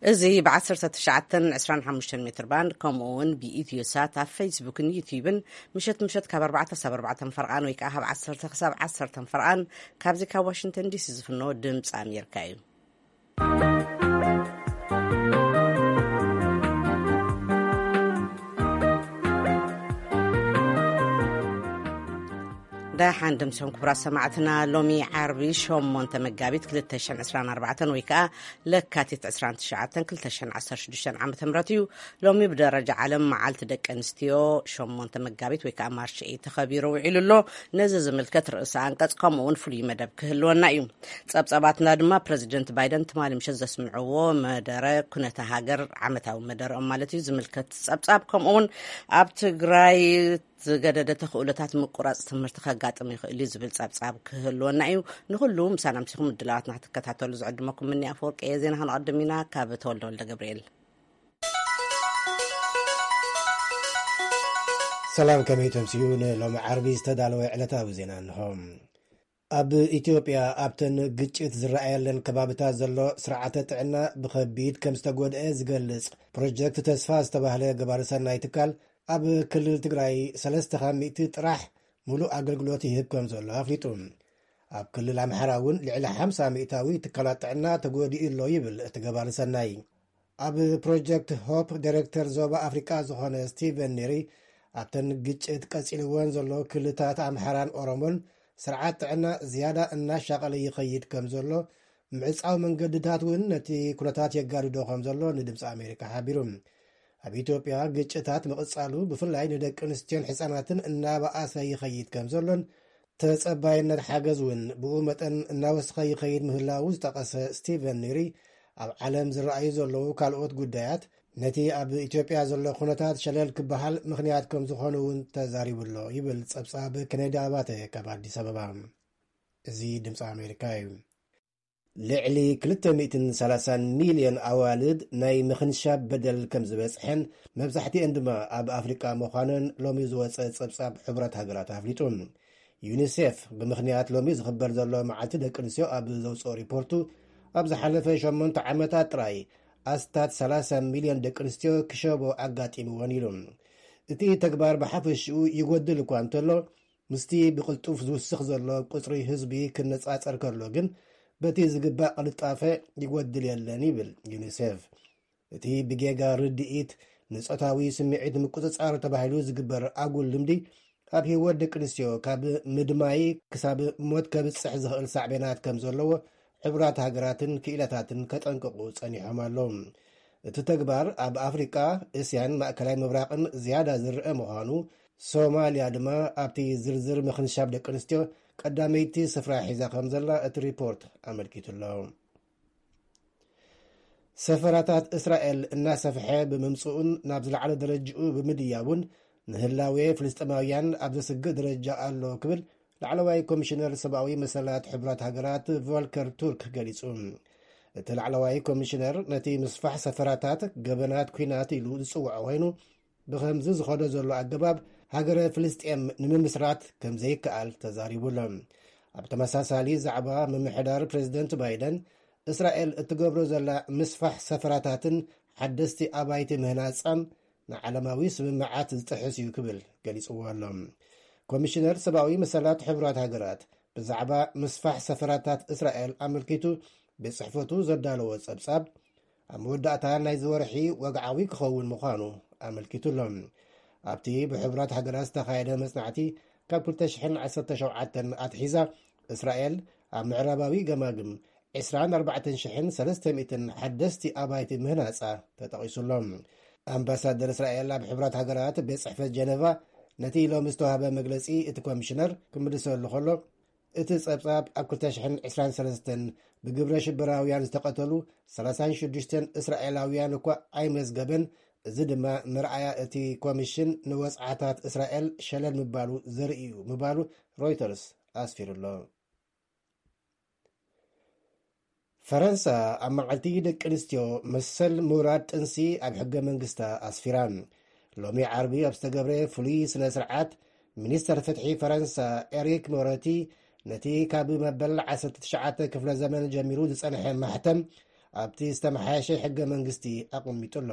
እዚ ብ19 25 ሜትር ባንድ፣ ከምኡ እውን ብኢትዮ ሳት ኣብ ፌስቡክን ዩቲዩብን፣ ምሸት ምሸት ካብ ኣርባዕተ ክሳብ ኣርባዕተ ፈርቓን ወይ ከዓ ካብ ዓሰርተ ክሳብ ዓሰርተ ፈርቓን፣ ካብዚ ካብ ዋሽንግተን ዲሲ ዝፍኖ ድምፂ ኣሜሪካ እዩ። ደሓን ድምፅኹም ክቡራት ሰማዕትና። ሎሚ ዓርቢ ሸሞንተ መጋቢት ክልተ ሽሕን ዕስራን ኣርባዕተን ወይ ከዓ ለካቲት ዕስራን ትሽዓተን ክልተ ሽሕን ዓሰርተ ሽዱሽተን ዓመተ ምህረት እዩ። ሎሚ ብደረጃ ዓለም መዓልቲ ደቂ ኣንስትዮ ሸሞንተ መጋቢት ወይ ከዓ ማርች ኤይት ተኸቢሩ ውዒሉ ኣሎ። ነዚ ዝምልከት ርእሰ ኣንቀጽ ከምኡ እውን ፍሉይ መደብ ክህልወና እዩ። ጸብጻባትና ድማ ፕረዚደንት ባይደን ትማሊ ምሸት ዘስምዕዎ መደረ ኩነተ ሃገር፣ ዓመታዊ መደረኦም ማለት እዩ፣ ዝምልከት ጸብጻብ፣ ከምኡ እውን ኣብ ትግራይ ዝገደደ ተኽእሎታት ምቁራጽ ትምህርቲ ከጋጥም ይኽእል እዩ ዝብል ጸብጻብ ክህልወና እዩ። ንኹሉ ምሳና ምሲኹም ምድላዋትና ክትከታተሉ ዝዕድመኩም ምኒ ኣፈወርቂ እየ። ዜና ክንቐድም ኢና። ካብ ተወልደ ወልደ ገብርኤል። ሰላም፣ ከመይ ተምስዩ? ንሎሚ ዓርቢ ዝተዳለወ ዕለታዊ ዜና እንሆ። ኣብ ኢትዮጵያ ኣብተን ግጭት ዝረኣየለን ከባብታት ዘሎ ስርዓተ ጥዕና ብኸቢድ ከም ዝተጎድአ ዝገልጽ ፕሮጀክት ተስፋ ዝተባህለ ገባሪ ሰናይ ትካል፣ ኣብ ክልል ትግራይ ሰለስተ ካብ ሚእቲ ጥራሕ ሙሉእ ኣገልግሎት ይህብ ከም ዘሎ ኣፍሊጡ። ኣብ ክልል ኣምሓራ እውን ልዕሊ ሓምሳ ሚእታዊ ትካላት ጥዕና ተጎዲኡ ኣሎ ይብል እቲ ገባሪ ሰናይ። ኣብ ፕሮጀክት ሆፕ ዳይሬክተር ዞባ ኣፍሪቃ ዝኾነ ስቲቨን ኔሪ፣ ኣብተን ግጭት ቀጺልወን ዘሎ ክልታት ኣምሓራን ኦሮሞን ስርዓት ጥዕና ዝያዳ እናሻቐለ ይኸይድ ከም ዘሎ፣ ምዕጻው መንገድታት እውን ነቲ ኩነታት የጋድዶ ከም ዘሎ ንድምፂ ኣሜሪካ ሓቢሩ። ኣብ ኢትዮጵያ ግጭታት ምቕጻሉ ብፍላይ ንደቂ ኣንስትዮን ሕጻናትን እናበኣሰ ይኸይድ ከም ዘሎን፣ ተጸባይነት ሓገዝ እውን ብኡ መጠን እናወሰኸ ይኸይድ ምህላዉ ዝጠቐሰ ስቲቨን ኒሪ፣ ኣብ ዓለም ዝረኣዩ ዘለዉ ካልኦት ጉዳያት ነቲ ኣብ ኢትዮጵያ ዘሎ ኩነታት ሸለል ክበሃል ምኽንያት ከም ዝኾኑ እውን ተዛሪቡ ኣሎ ይብል ጸብጻብ ኬኔዲ ኣባተ ካብ ኣዲስ ኣበባ። እዚ ድምፂ ኣሜሪካ እዩ። ልዕሊ ክልተ ሚእትን ሰላሳን ሚልዮን ኣዋልድ ናይ ምኽንሻብ በደል ከም ዝበፅሐን፣ መብዛሕትኤን ድማ ኣብ ኣፍሪቃ ምዃነን ሎሚ ዝወፀ ፀብፃብ ሕቡራት ሃገራት ኣፍሊጡ። ዩኒሴፍ ብምኽንያት ሎሚ ዝኽበር ዘሎ መዓልቲ ደቂ ኣንስትዮ ኣብ ዘውፅኦ ሪፖርቱ፣ ኣብ ዝሓለፈ ሸሞንተ ዓመታት ጥራይ ኣስታት ሰላሳ ሚልዮን ደቂ ኣንስትዮ ክሸቦ ኣጋጢምወን ኢሉ። እቲ ተግባር ብሓፈሽኡ ይጎድል እኳ እንተሎ፣ ምስቲ ብቕልጡፍ ዝውስኽ ዘሎ ቁጽሪ ህዝቢ ክነጻጸር ከሎ ግን፣ በቲ ዝግባእ ቅልጣፈ ይጎድል የለን ይብል ዩኒሴፍ። እቲ ብጌጋ ርድኢት ንጾታዊ ስምዒት ምቁጽጻር ተባሂሉ ዝግበር ኣጉል ልምዲ፣ ኣብ ህይወት ደቂ ኣንስትዮ ካብ ምድማይ ክሳብ ሞት ከብጽሕ ዝኽእል ሳዕቤናት ከም ዘለዎ ሕቡራት ሃገራትን ክኢላታትን ከጠንቅቑ ጸኒሖም ኣለዉ። እቲ ተግባር ኣብ ኣፍሪቃ፣ እስያን ማእከላይ ምብራቕን ዝያዳ ዝርአ ምዃኑ፣ ሶማልያ ድማ ኣብቲ ዝርዝር ምኽንሻብ ደቂ ኣንስትዮ ቀዳመይቲ ስፍራ ሒዛ ከም ዘላ እቲ ሪፖርት ኣመልኪቱ ኣሎ። ሰፈራታት እስራኤል እናሰፍሐ ብምምጽኡን ናብ ዝለዓለ ደረጅኡ ብምድያቡን፣ ንህላዌ ፍልስጤማውያን ኣብ ዘስግእ ደረጃ ኣሎ ክብል ላዕለዋይ ኮሚሽነር ሰብኣዊ መሰላት ሕቡራት ሃገራት ቮልከር ቱርክ ገሊጹ። እቲ ላዕለዋይ ኮሚሽነር ነቲ ምስፋሕ ሰፈራታት ገበናት ኲናት ኢሉ ዝጽውዖ ኮይኑ፣ ብኸምዚ ዝኸዶ ዘሎ ኣገባብ ሃገረ ፍልስጤም ንምምስራት ከም ዘይከኣል ተዛሪቡ ኣሎ። ኣብ ተመሳሳሊ ዛዕባ፣ ምምሕዳር ፕሬዚደንት ባይደን፣ እስራኤል እትገብሮ ዘላ ምስፋሕ ሰፈራታትን ሓደስቲ ኣባይቲ ምህናጻን ንዓለማዊ ስምምዓት ዝጥሕስ እዩ ክብል ገሊጽዎ ኣሎ። ኮሚሽነር ሰብኣዊ መሰላት ሕቡራት ሃገራት ብዛዕባ ምስፋሕ ሰፈራታት እስራኤል ኣመልኪቱ ቤት ጽሕፈቱ ዘዳለዎ ጸብጻብ፣ ኣብ መወዳእታ ናይዚ ወርሒ ወግዓዊ ክኸውን ምዃኑ ኣመልኪቱ ኣሎ። ኣብቲ ብሕቡራት ሃገራት ዝተኻየደ መጽናዕቲ፣ ካብ ክልተ ሽሕን ዓሰርተ ሸውዓተን ኣትሒዛ፣ እስራኤል ኣብ ምዕራባዊ ገማግም ዕስራን ኣርባዕተን ሽሕን ሰለስተ ሚእትን ሓደስቲ ኣባይቲ ምህናጻ ተጠቒሱ ኣሎ። ኣምባሳደር እስራኤል ኣብ ሕቡራት ሃገራት ቤት ጽሕፈት ጀነቫ፣ ነቲ ሎሚ ዝተዋህበ መግለጺ እቲ ኮሚሽነር ክምልሰሉ ከሎ፣ እቲ ጸብጻብ ኣብ ክልተ ሽሕን ዕስራን ሰለስተን ብግብረ ሽበራውያን ዝተቐተሉ ሰላሳን ሽዱሽተን እስራኤላውያን እኳ ኣይመዝገበን፣ እዚ ድማ መርኣያ እቲ ኮሚሽን ንወጽዓታት እስራኤል ሸለል ምባሉ ዘርኢ እዩ ምባሉ ሮይተርስ ኣስፊሩ ኣሎ። ፈረንሳ ኣብ መዓልቲ ደቂ ኣንስትዮ መሰል ምውራድ ጥንሲ ኣብ ሕገ መንግስታ ኣስፊራ። ሎሚ ዓርቢ ኣብ ዝተገብረ ፍሉይ ስነ ስርዓት፣ ሚኒስተር ፍትሒ ፈረንሳ ኤሪክ ሞረቲ ነቲ ካብ መበል ዓሰርተ ትሽዓተ ክፍለ ዘመን ጀሚሩ ዝጸንሐ ማሕተም ኣብቲ ዝተመሓየሸ ሕገ መንግስቲ ኣቐሚጡ ኣሎ።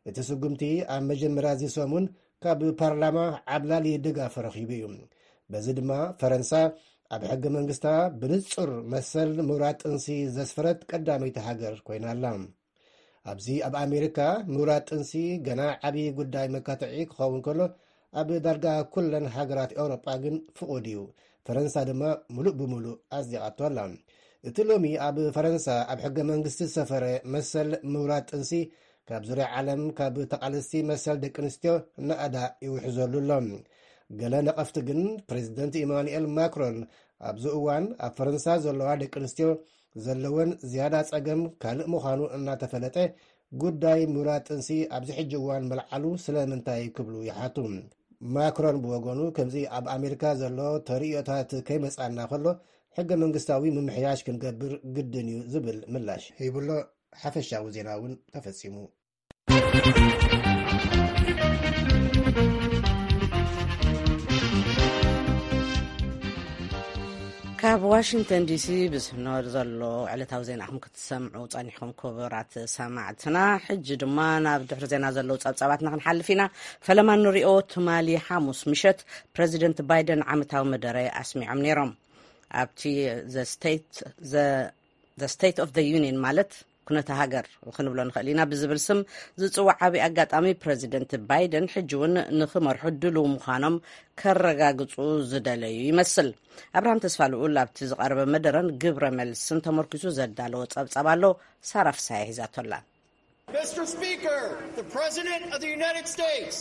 እቲ ስጉምቲ ኣብ መጀመርያ እዚ ሰሙን ካብ ፓርላማ ዓብላሊ ደጋፍ ረኺቡ እዩ። በዚ ድማ ፈረንሳ ኣብ ሕገ መንግስታ ብንጹር መሰል ምውራድ ጥንሲ ዘስፈረት ቀዳመይቲ ሃገር ኮይና ኣላ። ኣብዚ ኣብ ኣሜሪካ ምውራድ ጥንሲ ገና ዓብዪ ጉዳይ መካትዒ ክኸውን ከሎ፣ ኣብ ዳርጋ ኩለን ሃገራት ኤውሮጳ ግን ፍቑድ እዩ። ፈረንሳ ድማ ምሉእ ብምሉእ ኣጽዲቓቶ ኣላ። እቲ ሎሚ ኣብ ፈረንሳ ኣብ ሕገ መንግስቲ ዝሰፈረ መሰል ምውራድ ጥንሲ፣ ካብ ዙርያ ዓለም ካብ ተቓለስቲ መሰል ደቂ ኣንስትዮ ናእዳ ይውሕዘሉ ኣሎ። ገለ ነቐፍቲ ግን፣ ፕሬዚደንት ኢማኑኤል ማክሮን ኣብዚ እዋን ኣብ ፈረንሳ ዘለዋ ደቂ ኣንስትዮ ዘለወን ዝያዳ ጸገም ካልእ ምዃኑ እናተፈለጠ፣ ጉዳይ ምውራድ ጥንሲ ኣብዚ ሕጂ እዋን ምልዓሉ ስለምንታይ ክብሉ ይሓቱ። ማክሮን ብወገኑ፣ ከምዚ ኣብ ኣሜሪካ ዘሎ ተርእዮታት ከይመጻና ከሎ፣ ሕገ መንግስታዊ ምምሕያሽ ክንገብር ግድን እዩ ዝብል ምላሽ ሂቡሎ። ሓፈሻዊ ዜና እውን ተፈጺሙ። ካብ ዋሽንግተን ዲሲ ብዝሕኖ ዘሎ ዕለታዊ ዜናኹም ክትሰምዑ ጸኒሕኩም፣ ክቡራት ሰማዕትና። ሕጂ ድማ ናብ ድሕሪ ዜና ዘለዉ ጸብጻባትና ክንሓልፍ ኢና። ፈለማ ንሪኦ፣ ትማሊ ሓሙስ ምሸት ፕረዚደንት ባይደን ዓመታዊ መደረ ኣስሚዖም ነይሮም። ኣብቲ the state the the state of the union፣ ማለት ኩነተ ሃገር ክንብሎ ንኽእል ኢና ብዝብል ስም ዝጽዋዕ ዓብዪ ኣጋጣሚ፣ ፕረዚደንት ባይደን ሕጂ እውን ንኽመርሑ ድሉው ምዃኖም ከረጋግጹ ዝደለዩ ይመስል። ኣብርሃም ተስፋ ልኡል ኣብቲ ዝቐረበ መደረን ግብረ መልስን ተመርኪሱ ዘዳለዎ ጸብጻብ ኣሎ። ሳራ ፍሳሐ ሒዛቶ ኣላ። Mister Speaker, the President of the United States.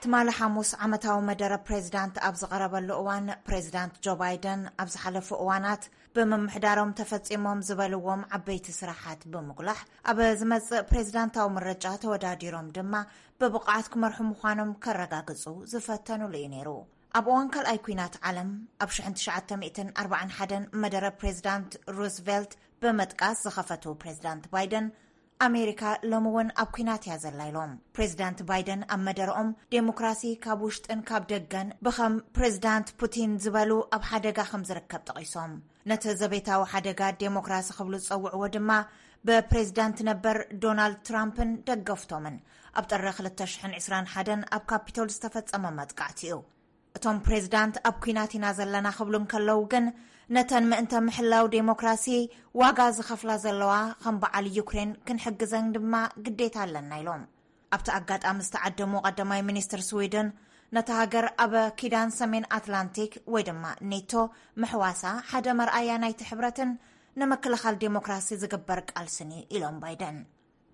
ትማሊ ሓሙስ ዓመታዊ መደረ ፕሬዚዳንት ኣብ ዝቐረበሉ እዋን፣ ፕሬዚዳንት ጆ ባይደን ኣብ ዝሓለፉ እዋናት ብምምሕዳሮም ተፈጺሞም ዝበልዎም ዓበይቲ ስራሓት ብምጉላሕ፣ ኣብ ዝመጽእ ፕሬዚዳንታዊ ምርጫ ተወዳዲሮም ድማ ብብቕዓት ክመርሑ ምዃኖም ከረጋግጹ ዝፈተኑሉ እዩ ነይሩ። ኣብ እዋን ካልኣይ ኲናት ዓለም ኣብ ሽሕን ትሽዓተ ሚእትን ኣርባዓን ሓደን መደረ ፕሬዚዳንት ሩዝቨልት ብምጥቃስ ዝኸፈቱ ፕሬዚዳንት ባይደን፣ ኣሜሪካ ሎሚ እውን ኣብ ኲናት እያ ዘላ ኢሎም። ፕሬዚዳንት ባይደን ኣብ መደረኦም፣ ዴሞክራሲ ካብ ውሽጥን ካብ ደገን ብኸም ፕሬዚዳንት ፑቲን ዝበሉ ኣብ ሓደጋ ከም ዝርከብ ጠቒሶም፣ ነቲ ዘቤታዊ ሓደጋ ዴሞክራሲ ክብሉ ዝጸውዕዎ ድማ ብፕሬዚዳንት ነበር ዶናልድ ትራምፕን ደገፍቶምን ኣብ ጥሪ ክልተ ሽሕን ዕስራን ሓደን ኣብ ካፒቶል ዝተፈጸመ መጥቃዕቲ እዩ። እቶም ፕሬዚዳንት ኣብ ኲናት ኢና ዘለና ክብሉ እንከለዉ ግን፣ ነተን ምእንተ ምሕላው ዴሞክራሲ ዋጋ ዝኸፍላ ዘለዋ ከም በዓል ዩክሬን ክንሕግዘን ድማ ግዴታ ኣለና ኢሎም። ኣብቲ ኣጋጣሚ ዝተዓደሙ ቀዳማይ ሚኒስትር ስዊድን፣ ነታ ሃገር ኣብ ኪዳን ሰሜን ኣትላንቲክ ወይ ድማ ኔቶ ምሕዋሳ ሓደ መርኣያ ናይቲ ሕብረትን ንምክልኻል ዴሞክራሲ ዝግበር ቃልስን እዩ ኢሎም ባይደን።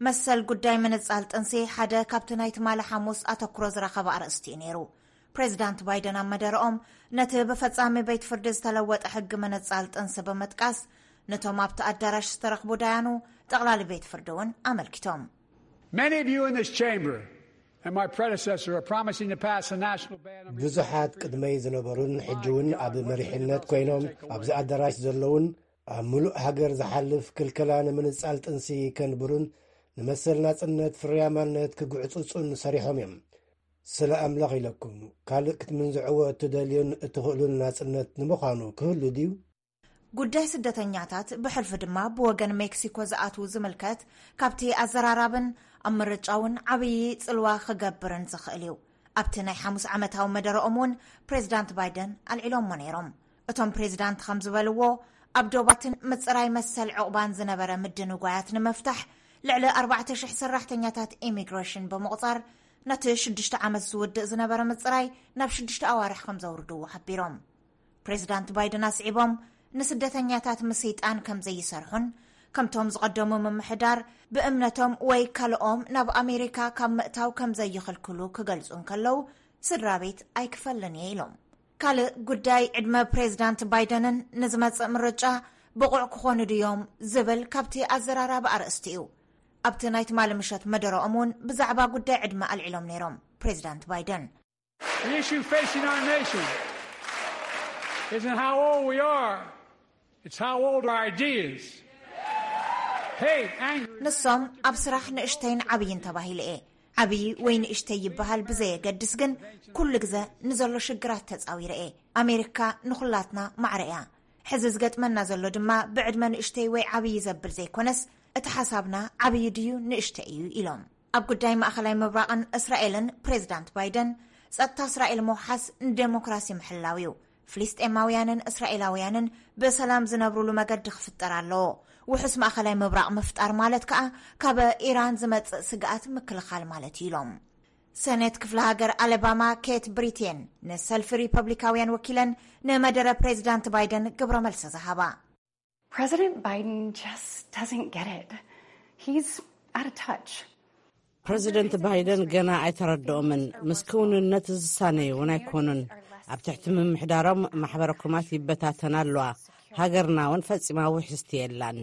መሰል ጉዳይ ምንጻል ጥንሲ ሓደ ካብቲ ናይ ትማሊ ሓሙስ ኣተኩሮ ዝረኸበ ኣርእስቲ እዩ ነይሩ። ፕሬዚዳንት ባይደን ኣብ መደረኦም፣ ነቲ ብፈጻሚ ቤት ፍርዲ ዝተለወጠ ሕጊ ምንጻል ጥንሲ ብምጥቃስ፣ ነቶም ኣብቲ ኣዳራሽ ዝተረኽቡ ዳያኑ፣ ጠቕላሊ ቤት ፍርዲ እውን ኣመልኪቶም። Many of you in this chamber and my predecessor are promising to pass a national ban on ብዙሓት ቅድመይ ዝነበሩን ሕጂ እውን ኣብ መሪሕነት ኮይኖም ኣብዚ ኣዳራሽ ዘለውን፣ ኣብ ምሉእ ሃገር ዝሓልፍ ክልከላ ንምንጻል ጥንሲ ከንብሩን ንመሰል ናጽነት ፍርያማነት ክግዕጽጹን ሰሪሖም እዮም። ስለ ኣምላኽ ኢለኩም፣ ካልእ ክትምንዝዕዎ እትደልዩን እትኽእሉን ናጽነት ንምዃኑ ክህሉ ድዩ? ጉዳይ ስደተኛታት፣ ብሕልፊ ድማ ብወገን ሜክሲኮ ዝኣትዉ ዝምልከት፣ ካብቲ ኣዘራራብን ኣብ ምርጫ እውን ዓብዪ ጽልዋ ክገብርን ዝኽእል እዩ። ኣብቲ ናይ ሓሙስ ዓመታዊ መደረኦም እውን ፕሬዚዳንት ባይደን ኣልዒሎሞ ነይሮም። እቶም ፕሬዚዳንት ከም ዝበልዎ፣ ኣብ ዶባትን ምጽራይ መሰል ዕቑባን ዝነበረ ምድንጓያት ንምፍታሕ፣ ልዕሊ ኣርባዕተ ሽሕ ሰራሕተኛታት ኢሚግሬሽን ብምቑጻር፣ ነቲ ሽዱሽተ ዓመት ዝውድእ ዝነበረ ምጽራይ ናብ ሽዱሽተ ኣዋርሕ ከም ዘውርድዎ ሓቢሮም። ፕሬዚዳንት ባይደን ኣስዒቦም፣ ንስደተኛታት ምስይጣን ከም ዘይሰርሑን፣ ከምቶም ዝቐደሙ ምምሕዳር ብእምነቶም ወይ ካልኦም ናብ ኣሜሪካ ካብ ምእታው ከም ዘይኽልክሉ ክገልጹ እንከለዉ፣ ስድራ ቤት ኣይክፈልን እየ ኢሎም። ካልእ ጉዳይ፣ ዕድመ ፕሬዚዳንት ባይደንን ንዝመጽእ ምርጫ ብቑዕ ክኾኑ ድዮም ዝብል ካብቲ ኣዘራራቢ ኣርእስቲ እዩ። ኣብቲ ናይ ትማሊ ምሸት መደረኦም እውን ብዛዕባ ጉዳይ ዕድመ ኣልዒሎም ነይሮም ፕሬዚዳንት ባይደን። The issue facing our nation isn't how old we are, it's how old our ideas. Hate, anger, ንሶም ኣብ ስራሕ ንእሽተይን ዓብይን ተባሂለ እየ። ዓብዪ ወይ ንእሽተይ ይበሃል ብዘየገድስ ግን፣ ኩሉ ግዘ ንዘሎ ሽግራት ተጻዊረ እየ። ኣሜሪካ ንኹላትና ማዕረ እያ። ሕዚ ዝገጥመና ዘሎ ድማ ብዕድመ ንእሽተይ ወይ ዓብዪ ዘብል ዘይኮነስ፣ እቲ ሓሳብና ዓብዪ ድዩ ንእሽተይ እዩ ኢሎም። ኣብ ጉዳይ ማእኸላይ ምብራቕን እስራኤልን ፕሬዚዳንት ባይደን፣ ጸጥታ እስራኤል ምውሓስ ንዴሞክራሲ ምሕላው እዩ። ፍልስጤማውያንን እስራኤላውያንን ብሰላም ዝነብሩሉ መገዲ ክፍጠር ኣለዎ። ውሑስ ማእኸላይ ምብራቕ ምፍጣር ማለት ከኣ ካብ ኢራን ዝመጽእ ስግኣት ምክልኻል ማለት እዩ ኢሎም። ሰኔት ክፍለ ሃገር ኣለባማ ኬት ብሪቴን ንሰልፊ ሪፐብሊካውያን ወኪለን ንመደረ ፕሬዚዳንት ባይደን ግብረ መልሲ ዝሃባ። President Biden just doesn't get it. He's out of touch. ፕረዚደንት ባይደን ገና ኣይተረድኦምን። ምስ ክውንነት ዝሳነዩ እውን ኣይኮኑን። ኣብ ትሕቲ ምምሕዳሮም ማሕበረ ኮማት ይበታተና ኣለዋ። ሃገርና እውን ፈጺማ ውሕስቲ የላን።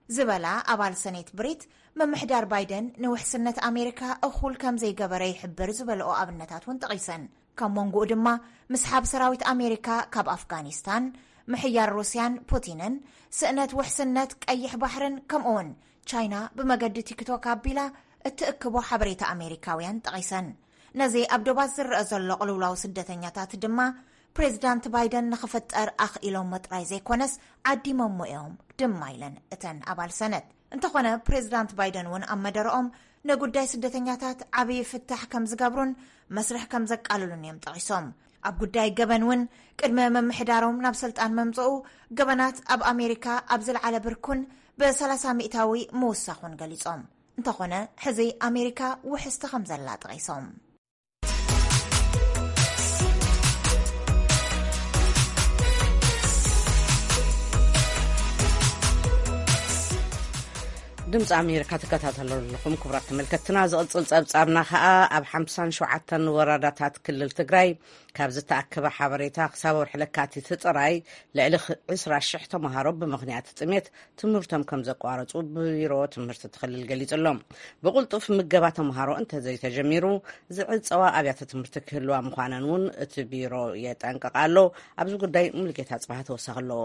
ዝበላ ኣባል ሰኔት ብሪት፣ ምምሕዳር ባይደን ንውሕስነት ኣሜሪካ እኹል ከም ዘይገበረ ይሕብር ዝበልኦ ኣብነታት እውን ጠቒሰን። ካብ መንጎኡ ድማ ምስሓብ ሰራዊት ኣሜሪካ ካብ ኣፍጋኒስታን፣ ምሕያር ሩስያን ፑቲንን፣ ስእነት ውሕስነት ቀይሕ ባሕርን ከምኡውን ቻይና ብመገዲ ቲክቶክ ኣቢላ እትእክቦ ሓበሬታ ኣሜሪካውያን ጠቒሰን። ነዚ ኣብ ዶባት ዝረአ ዘሎ ቅልውላው ስደተኛታት ድማ ፕሬዚዳንት ባይደን ንኽፍጠር ኣኽኢሎሞ ጥራይ ዘይኮነስ ዓዲሞሞ እዮም ድማ ኢለን እተን ኣባል ሰነት። እንተኾነ ፕሬዚዳንት ባይደን እውን ኣብ መደረኦም ንጉዳይ ስደተኛታት ዓብዪ ፍታሕ ከም ዝገብሩን መስርሕ ከም ዘቃልሉን እዮም ጠቒሶም። ኣብ ጉዳይ ገበን እውን ቅድሚ ምምሕዳሮም ናብ ስልጣን መምፅኡ ገበናት ኣብ ኣሜሪካ ኣብ ዝለዓለ ብርኩን ብ30 ሚእታዊ ምውሳኹን ገሊጾም። እንተኾነ ሕዚ ኣሜሪካ ውሕስቲ ከም ዘላ ጠቒሶም። ድምፂ ኣሜሪካ ትከታተሉ ኣለኹም ክቡራት ተመልከትና። ዝቕፅል ፀብፃብና ከዓ ኣብ ሓምሳን ሸውዓተን ወረዳታት ክልል ትግራይ ካብ ዝተኣከበ ሓበሬታ ክሳብ ወርሒ ለካቲት ጥራይ ልዕሊ ዕስራ ሽሕ ተምሃሮ ብምኽንያት ጥሜት ትምህርቶም ከም ዘቋረፁ ቢሮ ትምህርቲ እቲ ክልል ገሊፁ ኣሎ። ብቕልጡፍ ምገባ ተምሃሮ እንተዘይተጀሚሩ ዝዕፀዋ ኣብያተ ትምህርቲ ክህልዋ ምዃነን እውን እቲ ቢሮ የጠንቅቕ ኣሎ። ኣብዚ ጉዳይ ሙሉጌታ ፅባህ ተወሳኺ ኣለዎ።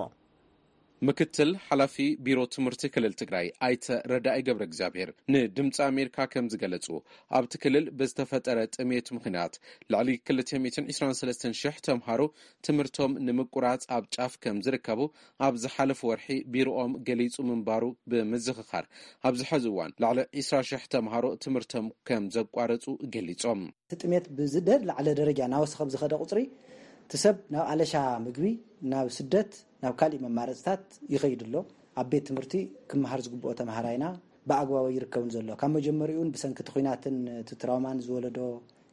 ምክትል ሓላፊ ቢሮ ትምህርቲ ክልል ትግራይ ኣይተ ረዳኢ ገብረ እግዚኣብሔር ንድምፂ ኣሜሪካ ከም ዝገለፁ ኣብቲ ክልል ብዝተፈጠረ ጥሜት ምኽንያት ልዕሊ ክልተ ሚእትን ዕስራን ሰለስተን ሽሕ ተምሃሮ ትምህርቶም ንምቁራፅ ኣብ ጫፍ ከም ዝርከቡ ኣብ ዝሓለፉ ወርሒ ቢሮኦም ገሊፁ ምንባሩ ብምዝኽኻር ኣብዚ ሐዚ እዋን ልዕሊ ዕስራ ሽሕ ተምሃሮ ትምህርቶም ከም ዘቋረፁ ገሊፆም። እቲ ጥሜት ብዝደላዕለ ደረጃ እናወሰኸ ብዝኸደ ቁፅሪ እቲ ሰብ ናብ ኣለሻ ምግቢ፣ ናብ ስደት፣ ናብ ካሊእ መማረፅታት ይኸይድ ኣሎ። ኣብ ቤት ትምህርቲ ክመሃር ዝግብኦ ተምሃራይና ብኣግባቡ ኣይርከብን ዘሎ። ካብ መጀመሪኡን ብሰንኪ እቲ ኲናትን እቲ ትራውማን ዝወለዶ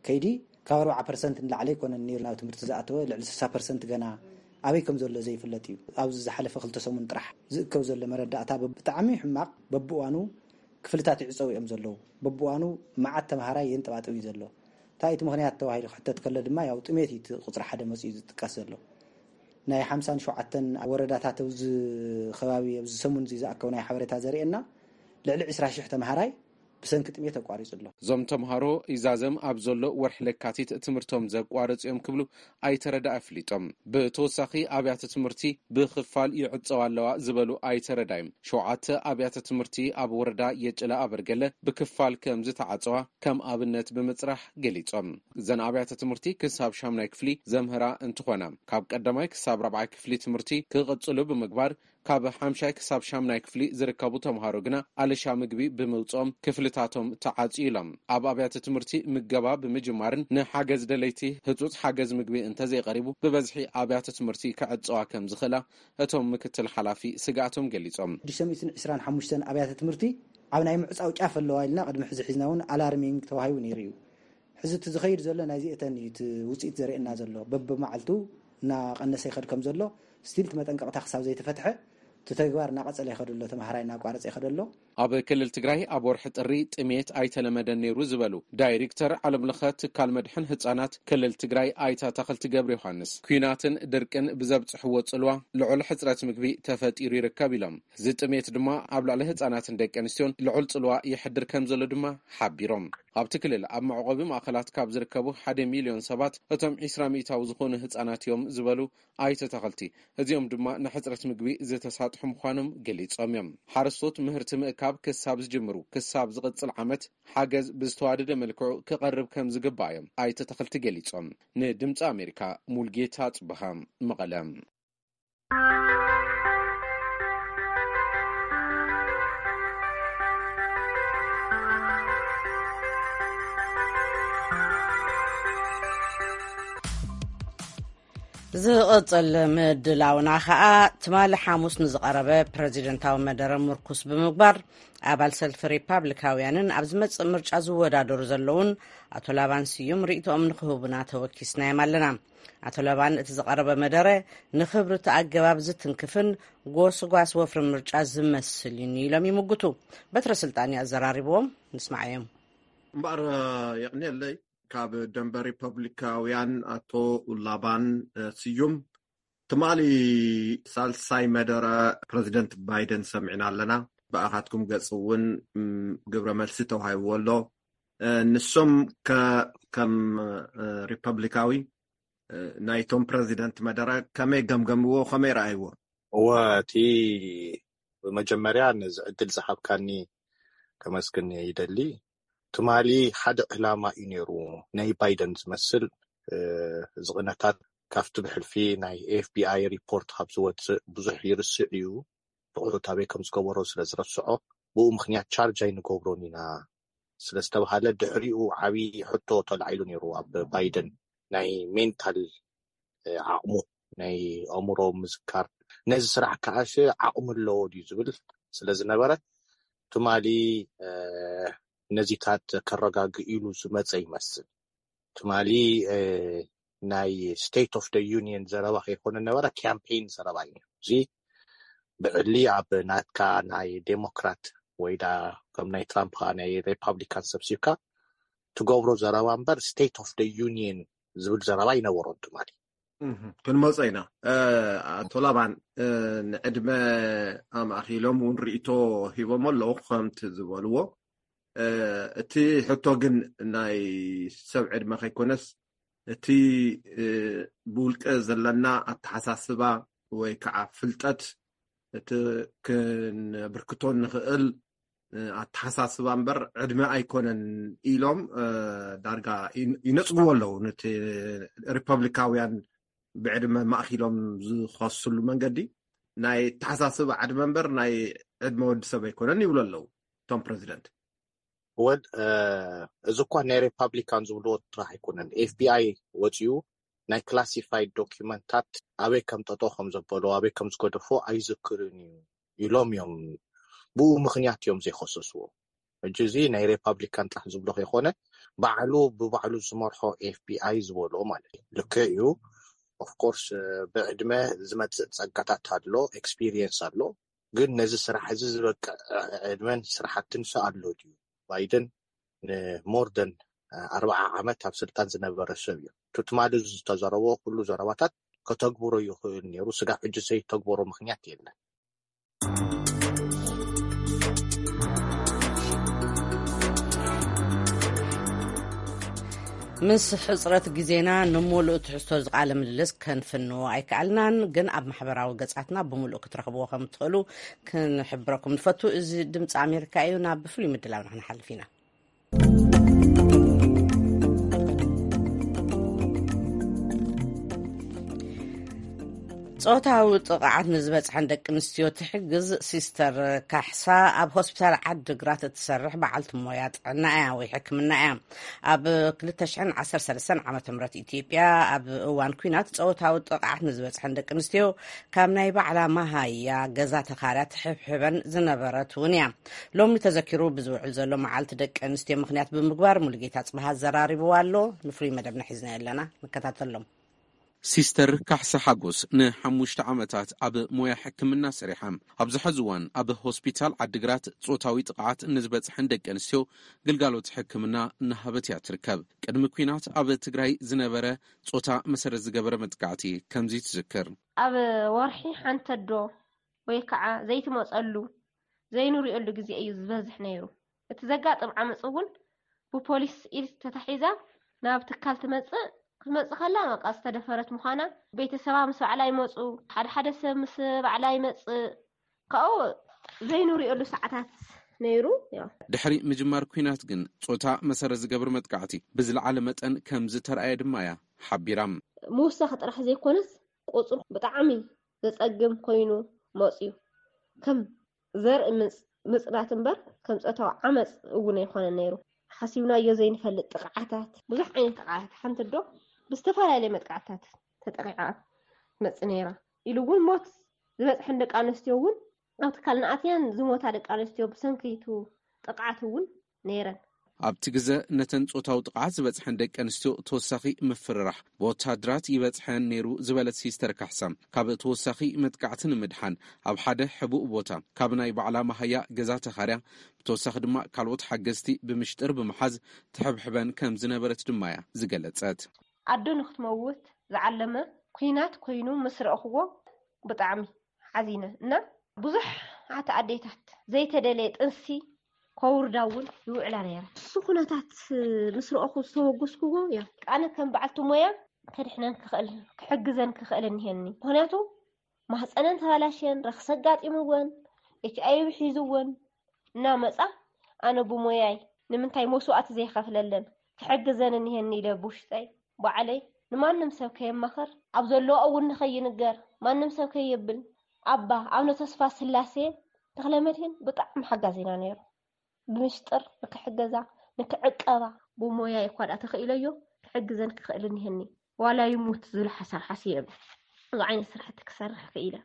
ከይዲ ካብ ኣርባዓ ፐርሰንት ንላዕሊ ኣይኮነን ነይሩ ናብ ትምህርቲ ዝኣተወ፣ ልዕሊ ስሳ ፐርሰንት ገና ኣበይ ከም ዘሎ ዘይፍለጥ እዩ። ኣብዚ ዝሓለፈ ክልተ ሰሙን ጥራሕ ዝእከብ ዘሎ መረዳእታ ብጣዕሚ ሕማቕ፣ በብእዋኑ ክፍልታት ይዕፀው እዮም ዘለዉ። በብእዋኑ መዓት ተምሃራይ የንጠባጥብ እዩ ዘሎ። እንታይ እቲ ምኽንያት ተባሂሉ ክሕተት ከሎ ድማ ያው ጥሜት እዩ እቲ ቁፅሪ ሓደ መፂኡ ዝጥቀስ ዘሎ። ናይ ሓምሳን ሸውዓተን ወረዳታት ኣብዚ ከባቢ ኣብዚ ሰሙን እዚ ዝኣከቡ ናይ ሓበሬታ ዘርእየና ልዕሊ ዕስራ ሽሕ ተምሃራይ ብሰንኪ ጥሜት ኣቋሪፁ ኣሎ። እዞም ተምሃሮ ኢዛዘም ኣብ ዘሎ ወርሒ ለካቲት ትምህርቶም ዘቋረፁ እዮም ክብሉ ኣይተረዳ ኣፍሊጦም። ብተወሳኺ ኣብያተ ትምህርቲ ብኽፋል ይዕፀዋ ኣለዋ ዝበሉ ኣይተረዳዮም ሸውዓተ ኣብያተ ትምህርቲ ኣብ ወረዳ የጭላ ኣበርገለ ብክፋል ከም ዝተዓፀዋ ከም ኣብነት ብምፅራሕ ገሊፆም። እዘን ኣብያተ ትምህርቲ ክሳብ ሻምናይ ክፍሊ ዘምህራ እንትኾና ካብ ቀዳማይ ክሳብ ራብዓይ ክፍሊ ትምህርቲ ክቕፅሉ ብምግባር ካብ ሓምሻይ ክሳብ ሻምናይ ክፍሊ ዝርከቡ ተምሃሮ ግና ኣለሻ ምግቢ ብምውፅኦም ክፍልታቶም ተዓፅዩ ኢሎም። ኣብ ኣብያተ ትምህርቲ ምገባ ብምጅማርን ንሓገዝ ደለይቲ ህፁፅ ሓገዝ ምግቢ እንተዘይቐሪቡ ብበዝሒ ኣብያተ ትምህርቲ ክዕፀዋ ከም ዝኽእላ እቶም ምክትል ሓላፊ ስግኣቶም ገሊፆም። ሽዱሽተ ሚእትን ዕስራን ሓሙሽተን ኣብያተ ትምህርቲ ኣብ ናይ ምዕፃው ጫፍ ኣለዋ ኢልና ቅድሚ ሕዚ ሒዝና እውን ኣላርሚንግ ተዋሂቡ ነይሩ እዩ። ሕዚ እቲ ዝኸይድ ዘሎ ናይዚ እተን እዩ እቲ ውፅኢት ዘርእየና ዘሎ። በብመዓልቱ እናቐነሰ ይኸድ ከም ዘሎ ስቲል እቲ መጠንቀቕታ ክሳብ ዘይተፈትሐ እቲ ተግባር እናቐፀለ ይኸድ ኣሎ። ተምሃራይ እናቋረፀ ይኸድ ኣሎ። ኣብ ክልል ትግራይ ኣብ ወርሒ ጥሪ ጥሜት ኣይተለመደን ነይሩ ዝበሉ ዳይሬክተር ዓለምለኸ ትካል መድሕን ህፃናት ክልል ትግራይ ኣይተ ኣታኽልቲ ገብረ ዮሃንስ ኲናትን ድርቅን ብዘብፅሕዎ ፅልዋ ልዑል ሕፅረት ምግቢ ተፈጢሩ ይርከብ ኢሎም። እዚ ጥሜት ድማ ኣብ ልዕሊ ህፃናትን ደቂ ኣንስትዮን ልዑል ፅልዋ የሕድር ከም ዘሎ ድማ ሓቢሮም። ኣብቲ ክልል ኣብ መዕቆቢ ማእኸላት ካብ ዝርከቡ ሓደ ሚልዮን ሰባት እቶም ዕስራ ሚእታዊ ዝኾኑ ህፃናት እዮም ዝበሉ ኣይተ ኣታኽልቲ፣ እዚኦም ድማ ንሕፅረት ምግቢ ዝተሳጥሑ ምዃኖም ገሊፆም እዮም። ሓረስቶት ምህርቲ ምእካብ ክሳብ ዝጅምሩ ክሳብ ዝቕፅል ዓመት ሓገዝ ብዝተዋደደ መልክዑ ክቐርብ ከም ዝግባእ እዮም ኣይተ ኣታኽልቲ ገሊፆም። ንድምፂ ኣሜሪካ ሙልጌታ ፅበሃ መቐለ። ዝቕጽል ምድላውና ኸኣ ትማሊ ሓሙስ ንዝቐረበ ፕረዚደንታዊ መደረ ምርኩስ ብምግባር፣ ኣባል ሰልፊ ሪፓብሊካውያንን ኣብ ዝመጽእ ምርጫ ዝወዳደሩ ዘለውን ኣቶ ላባን ስዩም ርእይቶኦም ንክህቡና ተወኪስናዮም ኣለና። ኣቶ ላባን፣ እቲ ዝቐረበ መደረ ንኽብሪ እቲ ኣገባብ ዝትንክፍን ጎስጓስ ወፍሪ ምርጫ ዝመስል እዩ ኢሎም ይምጉቱ። በትረ ስልጣን እዩ ኣዘራሪብዎም። ንስማዓዮም። እምበኣር፣ የቕንየለይ፣ ካብ ደንበ ሪፐብሊካውያን ኣቶ ላባን ስዩም፣ ትማሊ ሳልሳይ መደረ ፕረዚደንት ባይደን ሰሚዕና ኣለና። ብኣኻትኩም ገጽ እውን ግብረ መልሲ ተዋሂብዎ ኣሎ። ንሶም ከም ሪፐብሊካዊ ናይቶም ፕረዚደንት መደረ ከመይ ገምገምዎ፣ ከመይ ረኣይዎ? እወ፣ እቲ ብመጀመርያ ነዚ ዕድል ዝሃብካኒ ከመስግን ይደሊ። ትማሊ ሓደ ዕላማ እዩ ነይሩ፣ ናይ ባይደን ዝመስል ዝቕነታት ካብቲ ብሕልፊ ናይ ኤፍቢኣይ ሪፖርት ካብ ዝወፅእ ብዙሕ ይርስዕ እዩ። ብቑሑት ኣበይ ከም ዝገበሮ ስለ ዝረስዖ፣ ብኡ ምኽንያት ቻርጅ ኣይንገብሮን ኢና ስለ ዝተባሃለ፣ ድሕሪኡ ዓብዪ ሕቶ ተላዒሉ ነይሩ ኣብ ባይደን፣ ናይ ሜንታል ዓቕሙ፣ ናይ ኣእምሮ ምዝካር፣ ነዚ ስራሕ ከዓሽ ዓቕሙ ኣለዎ ድዩ ዝብል ስለ ዝነበረ፣ ትማሊ ነዚታት ከረጋግእ ኢሉ ዝመፀ ይመስል። ትማሊ ናይ ስቴት ኦፍ ዩኒየን ዘረባ ከይኮነ ነበረ፣ ካምፔን ዘረባ እዩ። እዚ ብዕሊ ኣብ ናትካ ናይ ዴሞክራት ወይ ዳ ከም ናይ ትራምፕ ከዓ ናይ ሪፓብሊካን ሰብሲብካ ትገብሮ ዘረባ እምበር፣ ስቴት ኦፍ ዩኒየን ዝብል ዘረባ ይነበሮን ትማሊ። ክንመፆ ኢና። ኣቶ ላባን፣ ንዕድመ ኣማእኪሎም እውን ርእይቶ ሂቦም ኣለዉ። ከምቲ ዝበልዎ፣ እቲ ሕቶ ግን ናይ ሰብ ዕድመ ከይኮነስ፣ እቲ ብውልቀ ዘለና ኣተሓሳስባ ወይ ከዓ ፍልጠት፣ እቲ ክንብርክቶ ንኽእል ኣተሓሳስባ እምበር ዕድመ ኣይኮነን ኢሎም ዳርጋ ይነፅግዎ ኣለዉ። ነቲ ሪፐብሊካውያን ብዕድመ ማእኪሎም ዝኸስሉ መንገዲ፣ ናይ ኣተሓሳስባ ዕድመ እምበር ናይ ዕድመ ወዲ ሰብ ኣይኮነን ይብሉ ኣለዉ እቶም ፕረዚደንት። ወል እዚ እኳ ናይ ሪፓብሊካን ዝብልዎ ጥራሕ ኣይኮነን። ኤፍቢኣይ ወፂኡ ናይ ክላሲፋይድ ዶኪመንታት ኣበይ ከም ጠጠው ከም ዘበሎ፣ ኣበይ ከም ዝገደፎ ኣይዝክርን እዩ ኢሎም እዮም። ብኡ ምኽንያት እዮም ዘይከሰስዎ። ሕጂ እዚ ናይ ሪፓብሊካን ጥራሕ ዝብሎ ከይኮነ፣ ባዕሉ ብባዕሉ ዝመርሖ ኤፍቢኣይ ዝበሎ ማለት እዩ። ልክዕ እዩ። ኦፍኮርስ ብዕድመ ዝመፅእ ፀጋታት ኣሎ፣ ኤክስፒሪየንስ ኣሎ። ግን ነዚ ስራሕ እዚ ዝበቅዕ ዕድመን ስራሕትን ሰ ኣሎ ድዩ? ባይደን ንሞርደን ኣርባዓ ዓመት ኣብ ስልጣን ዝነበረ ሰብ እዩ። ትማሊ ዝተዘረቦ ኩሉ ዘረባታት ከተግብሮ ይኽእል ነይሩ። ስጋብ ሕጂ ዘይተግበሮ ምኽንያት የለን። ምስ ሕፅረት ግዜና ንሙሉእ ትሕዝቶ ዝቃለ ምልልስ ከንፍንዎ ኣይከኣልናን፣ ግን ኣብ ማሕበራዊ ገጻትና ብምሉእ ክትረኽብዎ ከም ትኽእሉ ክንሕብረኩም ንፈቱ። እዚ ድምፂ ኣሜሪካ እዩ። ናብ ፍሉይ ምድላውና ክንሓልፍ ኢና። ጾታዊ ጥቕዓት ንዝበጽሐን ደቂ ኣንስትዮ ትሕግዝ ሲስተር ካሕሳ ኣብ ሆስፒታል ዓዲግራት እትሰርሕ በዓልቲ ሞያ ጥዕና እያ ወይ ሕክምና እያ። ኣብ ክልተ ሽሕን ዓሰርተ ሰለስተን ዓመተ ምህረት ኢትዮጵያ ኣብ እዋን ኲናት ጾታዊ ጥቕዓት ንዝበጽሐን ደቂ ኣንስትዮ ካብ ናይ ባዕላ መሃያ ገዛ ተኻርያ ትሕብሕበን ዝነበረት እውን እያ። ሎሚ ተዘኪሩ ብዝውዕል ዘሎ መዓልቲ ደቂ ኣንስትዮ ምኽንያት ብምግባር ሙሉጌታ ጽባሃ ኣዘራሪብዋ ኣሎ። ንፍሉይ መደብና ሒዝናዮ ኣለና፣ ንከታተሎም። ሲስተር ካሕሳ ሓጎስ ንሓሙሽተ ዓመታት ኣብ ሞያ ሕክምና ሰሪሓ፣ ኣብዚ ሕዚ እዋን ኣብ ሆስፒታል ዓዲግራት ጾታዊ ጥቕዓት ንዝበጽሐን ደቂ ኣንስትዮ ግልጋሎት ሕክምና እናሃበት እያ ትርከብ። ቅድሚ ኲናት ኣብ ትግራይ ዝነበረ ጾታ መሰረት ዝገበረ መጥቃዕቲ ከምዚ ትዝክር። ኣብ ወርሒ ሓንቲ ኣዶ ወይ ከዓ ዘይትመፀሉ ዘይንሪኦሉ ግዜ እዩ ዝበዝሕ ነይሩ። እቲ ዘጋጥም ዓመፅ እውን ብፖሊስ ኢድ ተታሒዛ ናብ ትካል ትመፅእ። ክትመፅእ ከላ በቃ ዝተደፈረት ምዃና፣ ቤተሰባ ምስ ባዕላ ይመፁ፣ ሓደ ሓደ ሰብ ምስ ባዕላ ይመፅእ። ካብኡ ዘይንሪኦሉ ሰዓታት ነይሩ። ያው ድሕሪ ምጅማር ኲናት ግን ጾታ መሰረት ዝገብር መጥቃዕቲ ብዝለዓለ መጠን ከም ዝተረኣየ ድማ እያ ሓቢራ። ምውሳኽ ጥራሕ ዘይኮነስ ቁፅሩ ብጣዕሚ ዘፀግም ኮይኑ መፅዩ። ከም ዘርኢ ምጽ- ምጽናት እምበር ከም ጾታዊ ዓመጽ እውን ኣይኮነን ነይሩ። ሓሲብናዮ ዘይንፈልጥ ጥቕዓታት፣ ብዙሕ ዓይነት ጥቕዓታት። ሓንቲ ኣዶ ብዝተፈላለየ መጥቃዕትታት ተጠቒዓ። መጽ ነይራ ኢሉ እውን ሞት ዝበጽሐን ደቂ ኣንስትዮ እውን ኣብ ትካል ንኣትያን ዝሞታ ደቂ ኣንስትዮ ብሰንኪ እቲ ጥቕዓት እውን ነይረን። ኣብቲ ግዘ ነተን ጾታዊ ጥቕዓት ዝበጽሐን ደቂ ኣንስትዮ ተወሳኺ ምፍርራሕ ብወተሃደራት ይበጽሐን ነይሩ ዝበለት ሲስተር ካሕሳ፣ ካብ ተወሳኺ መጥቃዕቲ ንምድሓን ኣብ ሓደ ሕቡእ ቦታ ካብ ናይ ባዕላ መሃያ ገዛ ተኻርያ፣ ብተወሳኺ ድማ ካልኦት ሓገዝቲ ብምሽጥር ብምሓዝ ትሕብሕበን ከም ዝነበረት ድማ እያ ዝገለጸት። ኣዶ ንክትመውት ዝዓለመ ኲናት ኮይኑ ምስ ረእኽዎ ብጣዕሚ ሓዚነ እና ብዙሓት ኣዴታት ዘይተደለየ ጥንሲ ከውርዳ እውን ይውዕላ ነይረን። እሱ ኩነታት ምስ ረእኹ ዝተወገስክዎ እያ። ኣነ ከም በዓልቲ ሞያ ከድሕነን ክኽእል ክሕግዘን ክኽእል እኒሀኒ። ምኽንያቱ ማህፀነን ተባላሽየን ረኽሲ ኣጋጢምወን ኤች ኣይ ቪ ሒዝወን እናመፃ ኣነ ብሞያይ ንምንታይ መስዋእቲ ዘይኸፍለለን ክሕግዘን እኒሀኒ ኢለ ብውሽጠይ ባዕለይ ንማንም ሰብ ከየማኸር ኣብ ዘለዎ እውን ንኸይንገር ማንም ሰብ ከየብል ኣባ ኣብነ ተስፋ ስላሴ ተኽለመድህን ብጣዕሚ ሓጋዚና ነይሩ። ብምስጥር ንክሕገዛ ንክዕቀባ ብሞያ ይኳ ደኣ ተኽኢለዮ ክሕግዘን ክኽእል እኒሀኒ ዋላ ይሙት ዝብል ሓሳብ ሓስየ እየ። እዚ ዓይነት ስራሕቲ ክሰርሕ ክኢለ።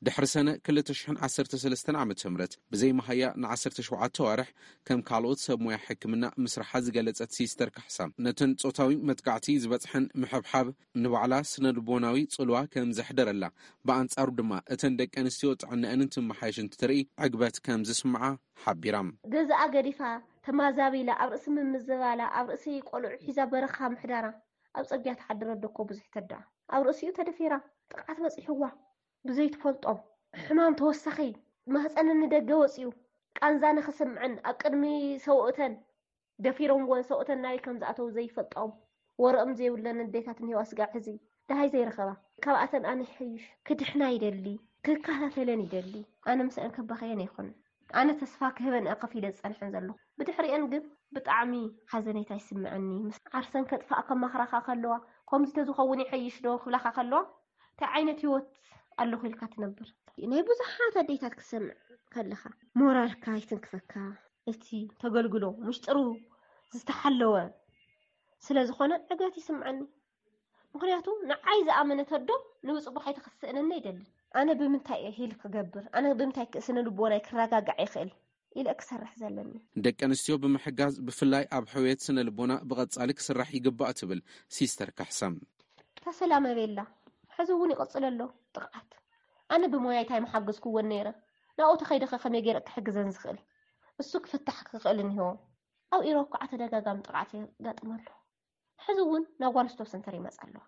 ድሕሪ ሰነ ክልተ ሽሕን ዓሰርተ ሰለስተን ዓመተ ምህረት ብዘይ መሃያ ንዓሰርተ ሸውዓተ ኣዋርሕ ከም ካልኦት ሰብ ሞያ ሕክምና ምስርሓ ዝገለጸት ሲስተር ካሕሳ፣ ነተን ጾታዊ መጥቃዕቲ ዝበጽሐን ምሕብሓብ ንባዕላ ስነ ልቦናዊ ጽልዋ ከም ዘሕደረላ፣ ብኣንጻሩ ድማ እተን ደቂ ኣንስትዮ ጥዕነአን እንትመሓየሽ እንትትርኢ ዕግበት ከም ዝስምዓ ሓቢራ። ገዛኣ ገዲፋ ተማዛቢላ ኣብ ርእሲ ምምዝባላ ኣብ ርእሲ ቆልዑ ሒዛ በረኻ ምሕዳራ ኣብ ጽርግያ ትሓድር ኣዶ እኮ ብዙሕ ተዳ ኣብ ርእሲኡ ተደፊራ ጥቕዓት በጺሕዋ ብዘይትፈልጦም ሕማም ተወሳኺ ማህፀን ንደገ ወፂኡ ቃንዛ ንኽስምዐን ኣብ ቅድሚ ሰውእተን ደፊሮምወን ሰውእተን ናበይ ከም ዝኣተው ዘይፈልጦም ወረኦም ዘይብለን ኣዴታት እኒሄዋ ስጋዕ ሕዚ ደሃይ ዘይረኸባ ካብኣተን ኣነ ይሐይሽ ክድሕና ይደሊ ክከታተለን ይደሊ ኣነ ምስአን ከባኸየን ኣይኮንን ኣነ ተስፋ ክህበን እየ ከፊለ ዝፀንሐን ዘለኹ ብድሕሪአን ግን ብጣዕሚ ሓዘኔታ ይስምዐኒ ምስ ዓርሰን ከጥፋእ ከማኽራኻ ከለዋ ከምዚ ተዝኸውን ይሐይሽ ዶ ክብላኻ ከለዋ እንታይ ዓይነት ህይወት ኣለኹ ኢልካ ትነብር ናይ ብዙሓት ኣዴታት ክሰምዕ ከለኻ ሞራልካ ይትንክፈካ እቲ ተገልግሎ ምሽጥሩ ዝተሓለወ ስለ ዝኾነ ዕግበት ይስምዐኒ ምኽንያቱ ንዓይ ዝኣመነት ኣዶ ንብፅቡቕ ኣይተኽስእነኒ ኣይደልን ኣነ ብምንታይ እየ ሂል ክገብር ኣነ ብምንታይ ክእስነ ልቦናይ ክረጋጋዕ ይኽእል ኢለ ክሰርሕ ዘለኒ። ደቂ ኣንስትዮ ብምሕጋዝ ብፍላይ ኣብ ሕውየት ስነ ልቦና ብቐጻሊ ክስራሕ ይግባእ ትብል ሲስተር ካሕሳ። ተሰላመ ቤላ ሕዚ እውን ይቕጽል ኣሎ ጥቕዓት። ኣነ ብሞያይ ታይ ምሓገዝክወን ነይረ ናብኡ ተኸይደኸ ከመይ ገይረ ክሕግዘን ዝኽእል እሱ ክፍታሕ ክኽእል እኒሆ። ኣብ ኢሮብ ከዓ ተደጋጋሚ ጥቕዓት የጋጥም ኣሎ። ሕዚ እውን ናብ ጓንስቶ ሰንተር ይመፃ ኣለዋ።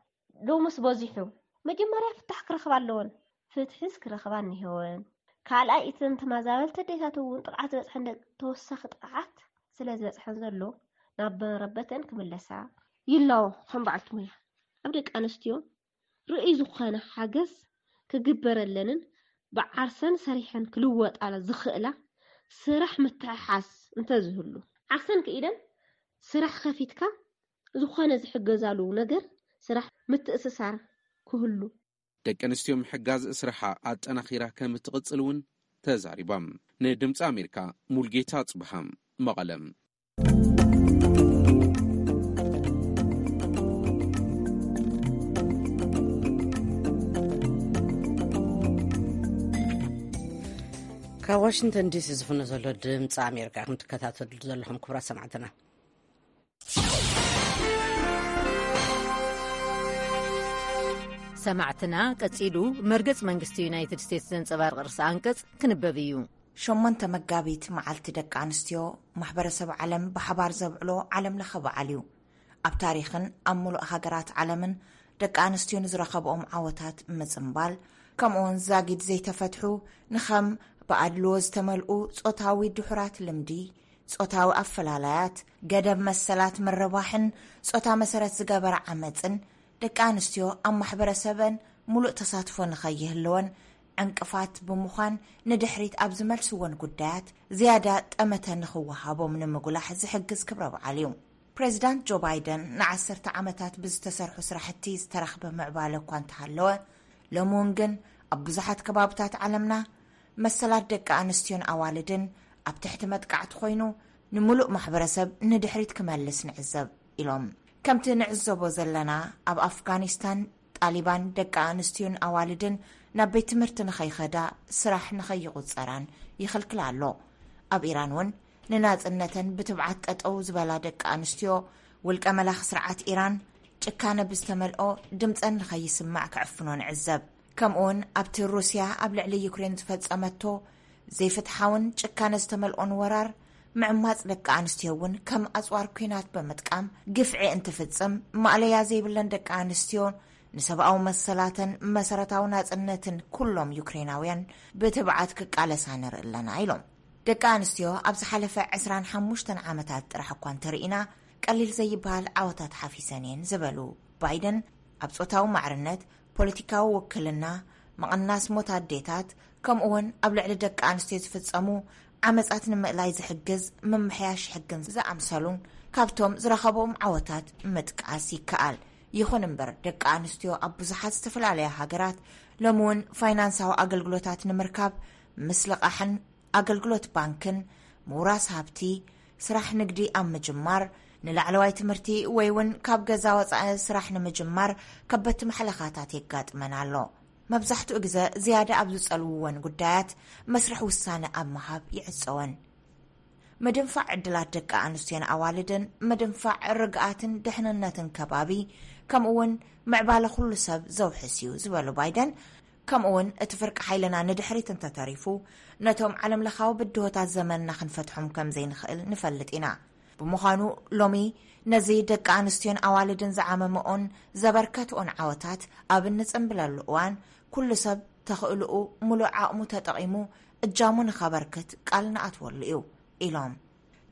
ሎምስ በዚሑ መጀመርያ ፍታሕ ክረኽባ ኣለወን። ፍትሕስ ክረኽባ እኒሄወን። ካልኣይ እተን ተመዛበልቲ ኣዴታት እውን ጥቕዓት ዝበፅሐን ደቂ ተወሳኺ ጥቕዓት ስለ ዝበፅሐን ዘሎ ናብ መረበተን ክምለሳ ይላቦ። ከም በዓልቲ ሞያ ኣብ ደቂ ኣንስትዮ ርእይ ዝኾነ ሓገዝ ክግበረለንን ብዓርሰን ሰሪሐን ክልወጣ ዝኽእላ ስራሕ ምትሕሓዝ እንተዝህሉ ዓርሰን ክኢለን ስራሕ ከፊትካ ዝኾነ ዝሕገዛሉ ነገር ስራሕ ምትእስሳር ክህሉ። ደቂ ኣንስትዮ ምሕጋዝ ስራሓ ኣጠናኺራ ከም እትቕጽል እውን ተዛሪባ። ንድምፂ ኣሜሪካ ሙልጌታ ኣጽብሃ መቐለ። ካብ ዋሽንግተን ዲሲ ዝፍኖ ዘሎ ድምፂ ኣሜሪካ ኢኹም ትከታተሉ ዘለኹም ክቡራት ሰማዕትና። ሰማዕትና ቀጺሉ መርገጽ መንግስቲ ዩናይትድ ስቴትስ ዘንጸባርቕ ርእሰ ኣንቀጽ ክንበብ እዩ። ሸሞንተ መጋቢት መዓልቲ ደቂ ኣንስትዮ ማሕበረሰብ ዓለም ብሓባር ዘብዕሎ ዓለም ለኸ በዓል እዩ። ኣብ ታሪኽን ኣብ ሙሉእ ሃገራት ዓለምን ደቂ ኣንስትዮ ንዝረኸብኦም ዓወታት ምጽምባል፣ ከምኡውን ዛጊድ ዘይተፈትሑ ንኸም ብኣድልዎ ዝተመልኡ ጾታዊ ድሑራት ልምዲ፣ ጾታዊ ኣፈላላያት፣ ገደብ መሰላት ምርባሕን ጾታ መሰረት ዝገበረ ዓመጽን ደቂ ኣንስትዮ ኣብ ማሕበረሰበን ሙሉእ ተሳትፎ ንኸይህልወን ዕንቅፋት ብምዃን ንድሕሪት ኣብ ዝመልስወን ጉዳያት ዝያዳ ጠመተ ንኽወሃቦም ንምጉላሕ ዝሕግዝ ክብረ በዓል እዩ። ፕሬዚዳንት ጆ ባይደን ንዓሰርተ ዓመታት ብዝተሰርሑ ስራሕቲ ዝተረኽበ ምዕባለ እኳ እንተሃለወ፣ ሎሚ እውን ግን ኣብ ብዙሓት ከባብታት ዓለምና መሰላት ደቂ ኣንስትዮን ኣዋልድን ኣብ ትሕቲ መጥቃዕቲ ኮይኑ፣ ንምሉእ ማሕበረሰብ ንድሕሪት ክመልስ ንዕዘብ ኢሎም። ከምቲ ንዕዘቦ ዘለና፣ ኣብ ኣፍጋኒስታን፣ ጣሊባን ደቂ ኣንስትዮን ኣዋልድን ናብ ቤት ትምህርቲ ንኸይኸዳ፣ ስራሕ ንኸይቑጸራን ይኽልክላ ኣሎ። ኣብ ኢራን እውን ንናጽነተን ብትብዓት ጠጠው ዝበላ ደቂ ኣንስትዮ፣ ውልቀ መላኺ ስርዓት ኢራን ጭካነ ብዝተመልኦ ድምጸን ንኸይስማዕ ክዕፍኖ ንዕዘብ። ከምኡውን ኣብቲ ሩስያ ኣብ ልዕሊ ዩክሬን ዝፈጸመቶ ዘይፍትሓውን ጭካነ ዝተመልኦን ወራር፣ ምዕማጽ ደቂ ኣንስትዮ እውን ከም ኣጽዋር ኲናት ብምጥቃም ግፍዒ እንትፍጽም፣ ማእለያ ዘይብለን ደቂ ኣንስትዮ ንሰብኣዊ መሰላትን መሰረታዊ ናጽነትን ኩሎም ዩክሬናውያን ብትብዓት ክቃለሳ ንርኢ ኣለና ኢሎም። ደቂ ኣንስትዮ ኣብ ዝሓለፈ ዕስራን ሓሙሽተን ዓመታት ጥራሕ እኳ እንተርኢና፣ ቀሊል ዘይበሃል ዓወታት ሓፊሰን እየን ዝበሉ ባይደን፣ ኣብ ጾታዊ ማዕርነት፣ ፖለቲካዊ ውክልና፣ ምቕናስ ሞት ኣዴታት፣ ከምኡ እውን ኣብ ልዕሊ ደቂ ኣንስትዮ ዝፍጸሙ ዓመጻት ንምእላይ ዝሕግዝ ምምሕያሽ ሕግን ዝኣምሰሉን ካብቶም ዝረኸቦም ዓወታት ምጥቃስ ይከኣል። ይኹን እምበር፣ ደቂ ኣንስትዮ ኣብ ብዙሓት ዝተፈላለያ ሃገራት ሎሚ እውን ፋይናንሳዊ ኣገልግሎታት ንምርካብ ምስልቓሕን ኣገልግሎት ባንክን፣ ምውራስ ሃብቲ፣ ስራሕ ንግዲ ኣብ ምጅማር፣ ንላዕለዋይ ትምህርቲ ወይ እውን ካብ ገዛ ወጻኢ ስራሕ ንምጅማር ከበድቲ ማሕለኻታት የጋጥመን ኣሎ። መብዛሕትኡ ግዘ ዝያዳ ኣብ ዝጸልውወን ጉዳያት መስርሕ ውሳነ ኣብ ምሃብ ይዕጸወን። ምድንፋዕ ዕድላት ደቂ ኣንስትዮን ኣዋልድን፣ ምድንፋዕ ርግኣትን ድሕንነትን ከባቢ፣ ከምኡ እውን ምዕባለ ኩሉ ሰብ ዘውሕስ እዩ ዝበሉ ባይደን፣ ከምኡ እውን እቲ ፍርቂ ሓይልና ንድሕሪት እንተተሪፉ፣ ነቶም ዓለምለኻዊ ብድሆታት ዘመንና ክንፈትሖም ከም ዘይንኽእል ንፈልጥ ኢና። ብምዃኑ፣ ሎሚ ነዚ ደቂ ኣንስትዮን ኣዋልድን ዝዓመመኦን ዘበርከትኦን ዓወታት ኣብ እንጽንብለሉ እዋን፣ ኩሉ ሰብ ተኽእልኡ ምሉእ ዓቕሙ ተጠቒሙ እጃሙ ንኸበርክት ቃል ንኣትወሉ እዩ ኢሎም።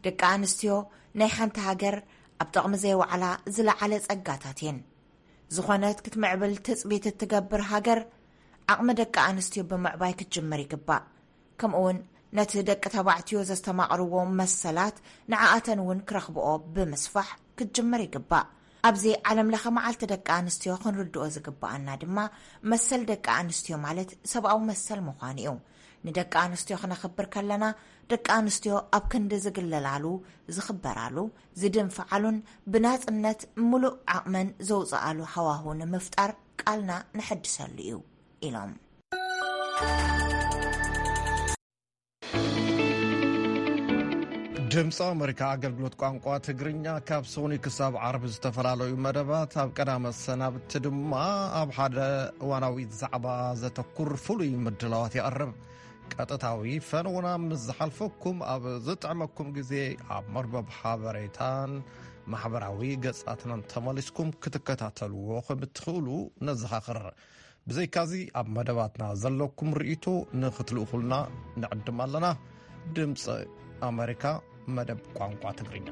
ደቂ ኣንስትዮ ናይ ሓንቲ ሃገር ኣብ ጥቕሚ ዘይወዓላ ዝለዓለ ጸጋታት እየን። ዝኾነት ክትምዕብል ትጽቢት እትገብር ሃገር፣ ዓቕሚ ደቂ ኣንስትዮ ብምዕባይ ክትጅምር ይግባእ። ከምኡውን ነቲ ደቂ ተባዕትዮ ዘስተማቕርዎ መሰላት ንዓኣተን እውን ክረኽብኦ ብምስፋሕ ክትጅምር ይግባእ። ኣብዚ ዓለም ለኸ መዓልቲ ደቂ ኣንስትዮ ክንርድኦ ዝግባኣና ድማ፣ መሰል ደቂ ኣንስትዮ ማለት ሰብኣዊ መሰል ምዃኑ እዩ። ንደቂ ኣንስትዮ ክነኽብር ከለና፣ ደቂ ኣንስትዮ ኣብ ክንዲ ዝግለላሉ፣ ዝኽበራሉ፣ ዝድንፍዓሉን ብናጽነት ምሉእ ዓቕመን ዘውጽኣሉ ሃዋሁ ንምፍጣር ቃልና ነሐድሰሉ እዩ ኢሎም። ድምፂ ኣመሪካ ኣገልግሎት ቋንቋ ትግርኛ ካብ ሰኑይ ክሳብ ዓርቢ ዝተፈላለዩ መደባት፣ ኣብ ቀዳመ ሰናብቲ ድማ ኣብ ሓደ እዋናዊ ዛዕባ ዘተኩር ፍሉይ ምድላዋት የቕርብ። ቀጥታዊ ፈነውና ምስ ዝሓልፈኩም፣ ኣብ ዝጥዕመኩም ግዜ ኣብ መርበብ ሓበሬታን ማሕበራዊ ገጻትናን ተመሊስኩም ክትከታተልዎ ከም እትኽእሉ ነዘኻኽር። ብዘይካዚ፣ ኣብ መደባትና ዘለኩም ርእይቶ ንኽትልእኹልና ንዕድም ኣለና። ድምፂ ኣመሪካ፣ መደብ ቋንቋ ትግርኛ።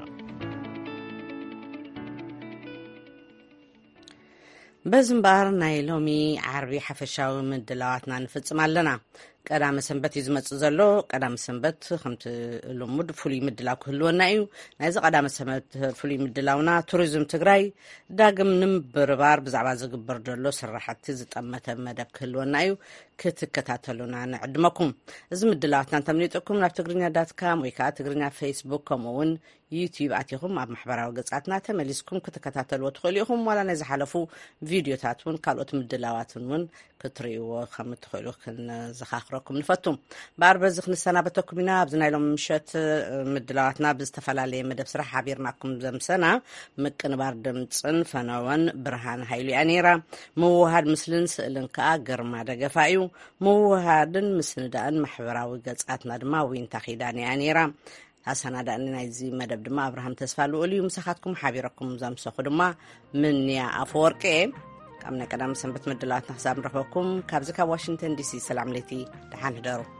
በዚ እምበኣር፣ ናይ ሎሚ ዓርቢ ሓፈሻዊ ምድላዋትና ንፍጽም ኣለና። ቀዳመ ሰንበት እዩ ዝመጽእ ዘሎ። ቀዳመ ሰንበት ከምቲ ልሙድ ፍሉይ ምድላው ክህልወና እዩ። ናይዚ ቀዳመ ሰንበት ፍሉይ ምድላውና፣ ቱሪዝም ትግራይ ዳግም ንምብርባር ብዛዕባ ዝግበር ዘሎ ስራሕቲ ዝጠመተ መደብ ክህልወና እዩ። ክትከታተሉና ንዕድመኩም። እዚ ምድላዋትና እንተምሊጥኩም፣ ናብ ትግርኛ ዳት ካም ወይ ከዓ ትግርኛ ፌስቡክ፣ ከምኡ እውን ዩቲዩብ ኣቲኹም ኣብ ማሕበራዊ ገጻትና ተመሊስኩም ክትከታተልዎ ትኽእሉ ኢኹም። ዋላ ናይ ዝሓለፉ ቪድዮታት እውን፣ ካልኦት ምድላዋትን እውን ክትርእይዎ ከም እትኽእሉ ክንዘኻኽረኩም ንፈቱ። እምበኣር፣ በዚ ክንሰናበተኩም ኢና። ኣብዚ ናይ ሎሚ ምሸት ምድላዋትና ብዝተፈላለየ መደብ ስራሕ ሓቢርናኩም ዘምሰና፣ ምቅንባር ድምፅን ፈነወን ብርሃን ሃይሉ እያ ነይራ። ምውሃድ ምስልን ስእልን ከዓ ግርማ ደገፋ እዩ። ምውሃድን ምስንዳእን ማሕበራዊ ገጻትና ድማ ዊንታ ኪዳን እያ ነይራ። ኣሰናዳእኒ ናይዚ መደብ ድማ ኣብርሃም ተስፋ ልኡል እዩ። ምሳኻትኩም ሓቢረኩም ዘምሰኹ ድማ ምንያ ኣፈወርቂ እየ። ካብ ናይ ቀዳም ሰንበት ምድላዋትና ክሳብ ንረኽበኩም፣ ካብዚ ካብ ዋሽንግተን ዲሲ ሰላም ለይቲ፣ ደሓን ህደሩ።